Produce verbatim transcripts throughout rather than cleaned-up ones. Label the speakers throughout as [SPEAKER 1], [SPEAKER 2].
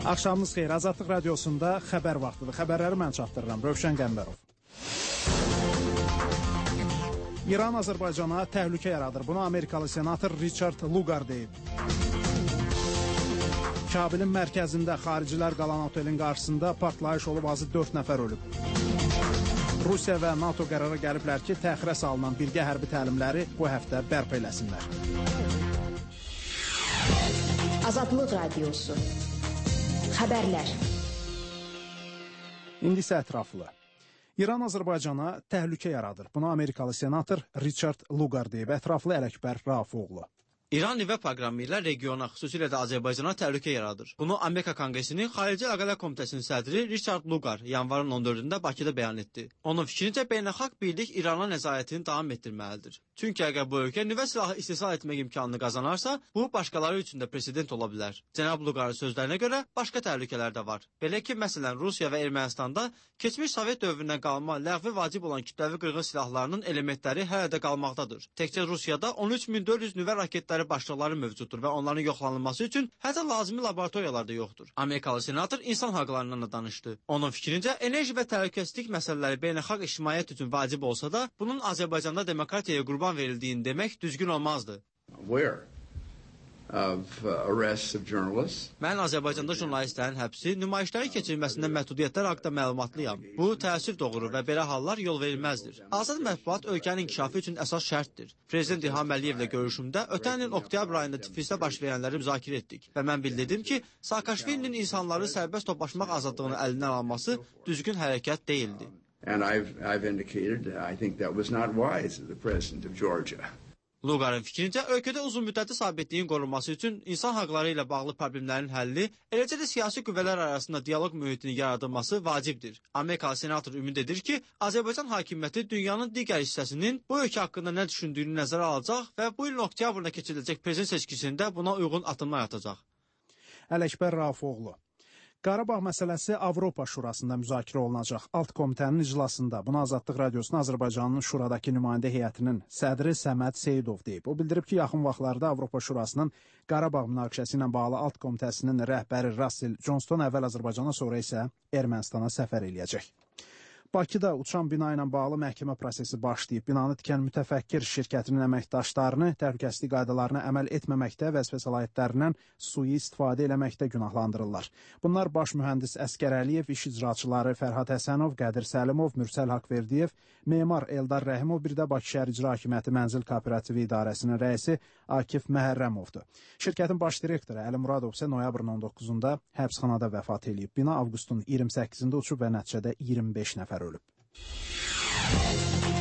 [SPEAKER 1] Axşamınız xeyir. Azadlıq radiosunda xəbər vaxtıdır. Xəbərləri mən çatdırıram. Rövşən Qəmbərov. İran Azərbaycana təhlükə yaradır. Bunu Amerikalı senator Richard Lugar deyib. Kabilin mərkəzində xaricilər qalan otelin qarşısında partlayış olub, azı dörd nəfər ölüb. Rusiya və NATO qərara gəliblər ki, təxirə salınan birgə hərbi təlimləri bu həftə bərpa eləsinlər.
[SPEAKER 2] Azadlıq radiosu. Xəbərlər.
[SPEAKER 1] İndi isə ətraflı. İran Azərbaycana təhlükə yaradır. Bunu Amerikalı senator Richard Lugar deyib. Ətraflı Ələkbər Rafoğlu.
[SPEAKER 3] İran nüvə proqramı ilə regiona, xüsusilə də Azərbaycana təhlükə yaradır. Bunu Amerika Konqresinin Xarici Əlaqələr Komitəsinin sədri Richard Lugar yanvarın on dördündə Bakıda bəyan etdi. Onun fikrincə beynəlxalq birlik İrana nəzarətini davam etdirməlidir. Çünki əgər bu ölkə nüvə silahı istehsal etmək imkanını qazanarsa, bu başqaları üçün də president ola bilər. Cənab Lugarın sözlərinə görə başqa təhlükələr də var. Belə ki, məsələn, Rusiya və Ermənistanda keçmiş Sovet dövründən qalma ləğvi vacib olan kütləvi qırğın silahlarının elementləri hələ də qalmaqdadır. Təkcə Rusiyada on üç min dörd yüz nüvə raketləri başlıqları mövcuddur və onların yoxlanılması üçün hətta lazımi laboratoriyalar da yoxdur. Amerikalı senator insan haqlarından da danışdı. Onun fikrincə, enerji və təhlükəsizlik məsələləri beynəlxalq ictimaiyyət üçün vacib olsa da, bunun Azərbaycanda demokratiyaya qurban verildiyini demək düzgün olmazdı.
[SPEAKER 4] Where? Of uh, arrests of journalists.
[SPEAKER 3] Mən Azərbaycanda jurnalistlərin həbsi, nümayişlərin keçirilməsində məhdudiyyətlər haqqında məlumatlıyam. Bu təəssüf doğurur və belə hallar yol verilməzdir. Azad mətbuat ölkənin inkişafı üçün əsas şərtdir. Prezident İlham Əliyevlə görüşümdə ötən il oktyabr ayında Tiflisdə baş verənləri müzakirə etdik və mən bildirdim ki, Saakashvilinin insanları sərbəst toplaşmaq azadlığını əlindən alması düzgün hərəkət deyildi.
[SPEAKER 4] And I've, I've indicated I think that was not wise of the president of Georgia.
[SPEAKER 3] Lugarın fikrincə, ölkədə uzun müddətli sabitliyin qorunması üçün insan haqları ilə bağlı problemlərin həlli, eləcə də siyasi qüvvələr arasında dialoq mühitinin yaradılması vacibdir. Amerikalı senator ümid edir ki, Azərbaycan hakimiyyəti dünyanın digər hissəsinin bu ölkə haqqında nə düşündüyünü nəzərə alacaq və bu ilin oktyabrında keçiriləcək prezident seçkisində buna uyğun addımlar atacaq.
[SPEAKER 1] Ələkbər Rafoğlu. Qarabağ məsələsi Avropa Şurasında müzakirə olunacaq. Alt komitənin iclasında bunu Azadlıq Radiosuna Azərbaycanın Şuradakı nümayəndə heyətinin sədri Səməd Seyidov deyib. O bildirib ki, yaxın vaxtlarda Avropa Şurasının Qarabağ münaqişəsi ilə bağlı alt komitəsinin rəhbəri Russell Johnston əvvəl Azərbaycana, sonra isə Ermənistana səfər eləyəcək. Bakıda uçan bina ilə bağlı məhkəmə prosesi başlayıb. Binanı tikən mütəfəkkir şirkətinin əməkdaşlarını təhlükəsizlik qaydalarına əməl etməməkdə, vəzifə səlahiyyətlərindən sui istifadə eləməkdə günahlandırırlar. Bunlar baş mühəndis Əskər Əliyev, iş icraçıları Fərhad Həsənov, Qədir Səlimov, Mürsəl Haqverdiyev, memar Eldar Rəhimov, bir də Bakı şəhər İcra Hakimiyyəti Mənzil Kooperativi İdarəsinin rəisi Akif Məhərrəmovdur. Şirkətin baş direktoru Əli Muradov isə noyabrın on doqquzunda həbsxanada vəfat eləyib. Bina avqustun iyirmi səkkizində uçub və nəticədə iyirmi beş nəfər ölüb.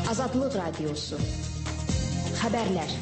[SPEAKER 2] Azadlıq radiosu. Xəbərlər.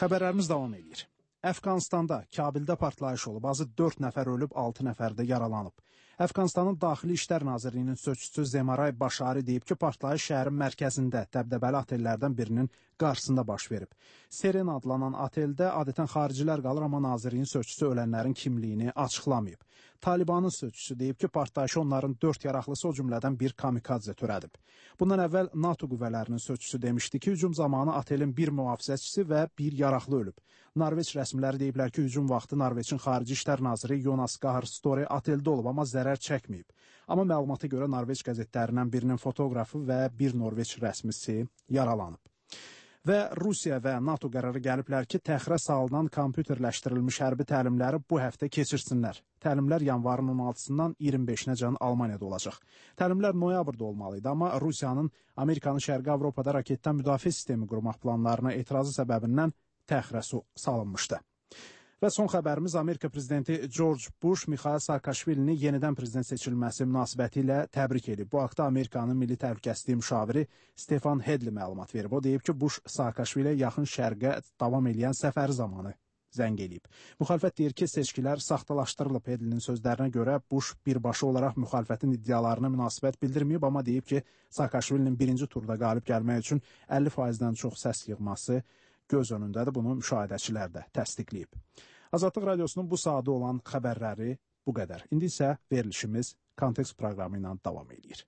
[SPEAKER 1] Xəbərlərimiz davam edir. Əfqanistanda, Kabildə partlayış olub, azı dörd nəfər ölüb, altı nəfər də yaralanıb. Əfqanistanın Daxili İşlər Nazirliyinin sözçüsü Zemaray Başari deyib ki, partlayış şəhərin mərkəzində dəbdəbəli otellərdən birinin qarşısında baş verib. Seren adlanan oteldə adətən xaricilər qalır, amma Nazirliyin sözçüsü ölənlərin kimliyini açıqlamayıb. Talibanın sözçüsü deyib ki, partlayışı onların dörd yaraqlısı, o cümlədən bir kamikadze törədib. Bundan əvvəl NATO qüvvələrinin sözçüsü demişdi ki, hücum zamanı otelin bir mühafizəçisi və bir yaraqlı ölüb. Norveç rəsmiləri deyiblər ki, hücum vaxtı Norveçin Xarici İşlər Naziri Jonas Gahr Støre oteldə olub, amma zərər çəkməyib. Amma məlumata görə Norveç qəzetlərindən birinin fotoqrafı və bir Norveç rəsmisi yaralanıb. Və Rusiya və NATO qərarı gəliblər ki, təxirə salınan kompüterləşdirilmiş hərbi təlimləri bu həftə keçirsinlər. Təlimlər yanvarın on altısından iyirmi beşinə can Almaniyada olacaq. Təlimlər noyabrda olmalıydı, amma Rusiyanın Amerikanın Şərqi Avropada raketdən müdafiə sistemi qurmaq planlarına etirazı səbəbindən təxirə salınmışdı. Və son xəbərimiz, Amerika prezidenti George Bush Mikhail Saakashvilini yenidən prezident seçilməsi münasibəti ilə təbrik edib. Bu haqda Amerikanın Milli Təhlükəsizlik müşaviri Stefan Hedli məlumat verib. O deyib ki, Bush Saakashviliyə yaxın şərqə davam edən səfəri zamanı zəng eləyib. Müxalifət deyir ki, seçkilər saxtalaşdırılıb. Hedlinin sözlərinə görə Bush birbaşa olaraq müxalifətin iddialarına münasibət bildirməyib, amma deyib ki, Saakashvilinin birinci turda qalib gəlmək üçün əlli faizdən çox səs yığması göz önündədir. Bunu müşahidəçilər də təsdiqləyib. Azadlıq Radiosunun bu saatda olan xəbərləri bu qədər. İndi isə verilişimiz Kontekst proqramı ilə davam edir.